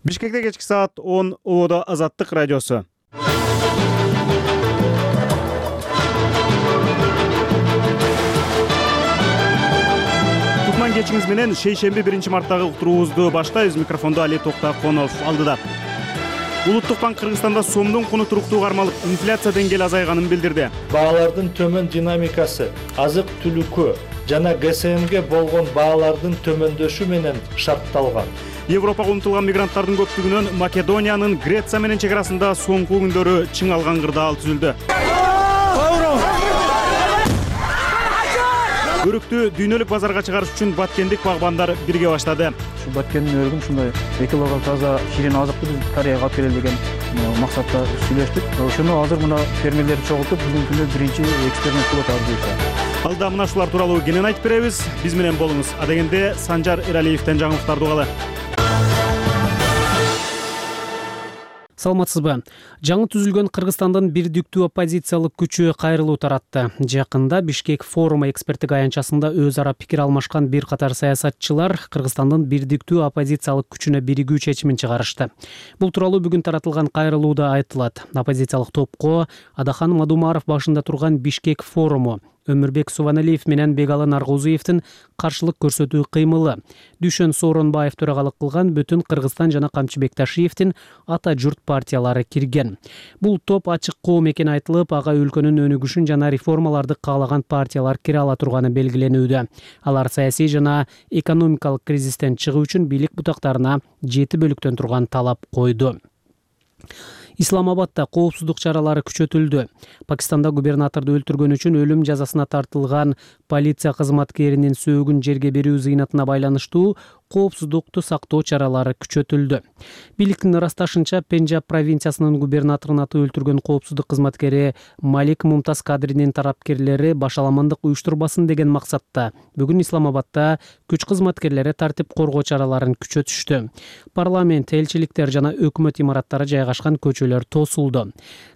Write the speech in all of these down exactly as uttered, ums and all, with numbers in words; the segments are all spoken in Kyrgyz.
Бишкекте кечки саат он Ободо Азаттык радиосу. Кутман кечиңиз менен шейшемби биринчи марттагы уктуруубузду баштайбыз. Микрофондо Али Токтаконов алдыда. Улуттук банк Кыргызстанда сомдун куну туруктуу кармалып, инфляция деңгээли азайганын билдирди. Баалардын төмөн динамикасы азык-түлүккө жана ГСМге болгон баалардын төмөндөшү менен шартталган. Европага умтулган мигранттардын көптүгүнөн Македониянын Греция менен чек арасында соңку күндөрү чыңалган кырдаал түзүлдү. Өрүктү дүйнөлүк базарга чыгарыш үчүн баткендик багбандар бирге баштады. Ушу баткендин өрүгүн ушундай экологиялык таза ширин азыкты биз Кореяга алып келели деген максатта сүйлөштүк. Ошону азыр мына фермерлерди чогултуп бүгүнкү күндө биринчи эксперимент кылып атабыз. Алда мына ушулар тууралуу кенен айтып беребиз. Биз менен болуңуз. Адегенде Санжар Эралиевден жаңылыктарды угалы. Саламатсызбы? Жаңы түзүлгөн Кыргызстандын бирдиктүү оппозициялык күчү кайрылуу таратты. Жакында Бишкек форуму эксперттик аянтчасында өз ара пикир алмашкан бир катар саясатчылар Кыргызстандын бирдиктүү оппозициялык күчүнө биригүү чечимин чыгарышты. Бул тууралуу бүгүн таратылган кайрылууда айтылат. Оппозициялык топко Адахан Мадумаров башында турган Бишкек форуму, Өмүрбек Субаналиев менен Бегалы Наргузиевдин каршылык көрсөтүү кыймылы, Дүйшөн Сооронбаев төрагалык кылган Бүтүн Кыргызстан жана Камчы Бекташиевдин Ата журт партиялары кирген. Бул топ ачык коом экени айтылып, ага өлкөнүн өнүгүшүн жана реформаларды каалаган партиялар кире ала турганы белгиленүүдө. Алар саясий жана экономикалык кризистен чыгуу үчүн бийлик бутактарына жети бөлүктөн турган талап койду. Исламабадда коопсуздук чаралары күчөтүлдү. Пакистанда губернаторду өлтүргөн үчүн өлүм жазасына тартылган полиция кызматкеринин сөөгүн жерге берүү зыйнатына байланыштуу коопсуздукту сактоо чаралары күчөтүлдү. Бийликтин ырасташынча, Пенджаб провинциясынын губернаторун аты өлтүргөн коопсуздук кызматкери Малик Мумтаз Кадринин тарапкерлери башаламандык уюштурбасын деген максатта бүгүн Исламабадда күч кызматкерлери тартип коргоо чараларын күчөтүштү. Парламент, элчиликтер жана өкмөт имараттары жайгашкан көчөлөр тосулду.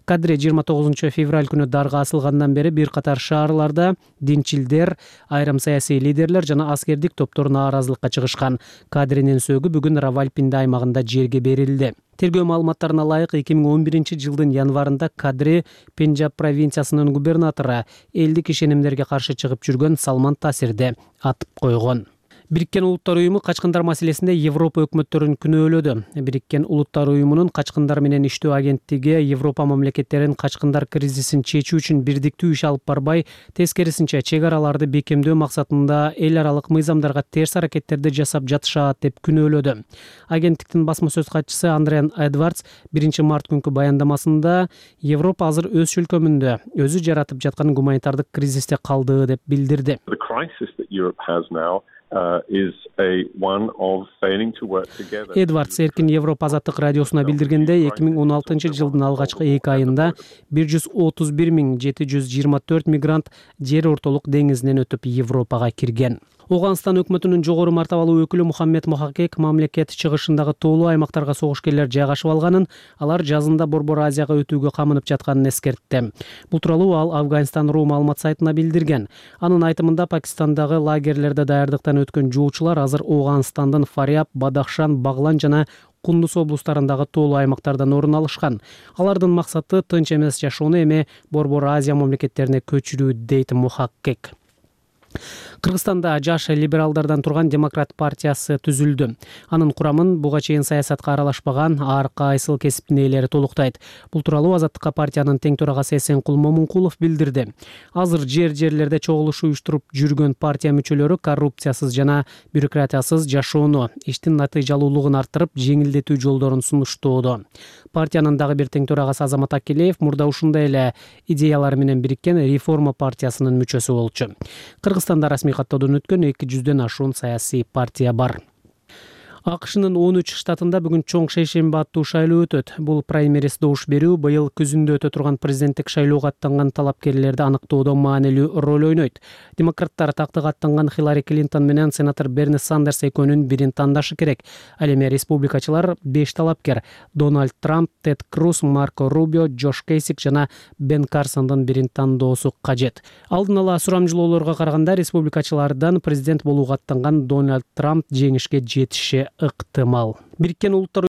Кадри жыйырма тогузунчу февраль күнү дарга асылгандан бери бир катар шаарларда динчилдер, айрым саясий лидерлер жана аскердик топтор нааразылыкка чыгышкан. Кадринин сөөгү бүгүн Равалпинди аймагында жерге берилди. Тергөө маалыматтарына ылайык эки миң он биринчи жылдын январында Кадри Пенджаб провинциясынын губернатору элдик ишенимдерге каршы чыгып жүргөн Салман Тасирди атып койгон. Бириккен Улуттар уюму качкындар маселесинде Европа өкмөттөрүн күнөөлөдү. Бириккен Улуттар уюмунун качкындар менен иштөө агенттиги Европа мамлекеттерин качкындар кризисин чечүү үчүн бирдиктүү иш алып барбай, тескерисинче чек араларды бекемдөө максатында эл аралык мыйзамдарга терс аракеттерди жасап жатышат деп күнөөлөдү. Агенттиктин басма сөз катчысы Андриан Эдвардс биринчи март күнкү баяндамасында Европа азыр өз чөлкөмүндө өзү жаратып жаткан гуманитардык кризисте калды деп билдирди. Uh, is a one of failing to work together. Эдвардс Эркин Европа азаттык радиосуна билдиргендей, эки миң он алтынчы жылдын алгачкы эки айында бир жүз отуз бир миң жети жүз жыйырма төрт мигрант жер ортолук деңизинен өтүп Европага кирген. Оганстан өкмөтүнүн жогору мартабалуу өкүлү Мухаммед Мохакек мамлекет чыгышындагы тоолуу аймактарга согушкерлер жайгашып алганын, алар жазында Борбор Азияга өтүүгө камынып жатканын эскертти. Бул тууралуу ал Афганистан.ру маалымат сайтына билдирген. Анын айтымында Пакистандагы лагерлерде даярдыктан өткөн жоочулар азыр Оганстандын Фаряб, Бадахшан, Баглан жана Кундуз облустарындагы тоолуу аймактардан орун алышкан. Алардын максаты тынч эмес жашоону эми Борбор Азия мамлекеттерине көчүрүү, дейт Мухакек. Кыргызстанда жаш либералдардан турган Демократ партиясы түзүлдү. Анын курамын буга чейин саясатка аралашпаган ар кайсыл кесиптин ээлери толуктайт. Бул тууралуу Азаттыкка партиянын тең төрагасы Эсенкул Момункулов билдирди. Азыр жер-жерлерде чогулуш уюштуруп жүргөн партия мүчөлөрү коррупциясыз жана бюрократиясыз жашоону, иштин натыйжалуулугун арттырып, жеңилдетүү жолдорун сунуштоодо. Партиянын дагы бир тең төрагасы Азамат Акилеев мурда ушундай эле идеялар менен бириккен Реформа партиясынын мүчөсү болчу. Кыргызстанда расмий каттоодон өткөн эки жүздөн ашуун саясий партия бар. АКШнын он үч штатында бүгүн чоң шейшемби аттуу шайлоо өтөт. Бул праймериз добуш берүү быйыл күзүндө өтө турган президенттик шайлоого аттанган талапкерлерди аныктоодо маанилүү роль ойнойт. Демократтар тактыга аттанган Хиллари Клинтон менен сенатор Берни Сандерс экөөнүн бирин тандашы керек. Ал эми республикачылар беш талапкер Дональд Трамп, Тед Круз, Марко Рубио, Джош Кейсик жана Бен Карсондун бирин тандоосу кажет. Алдын ала сурамжылоолорго караганда республикачылардан президент болууга аттанган Дональд Трамп жеңишке жетиши ыктымал. Бириккен Улуттар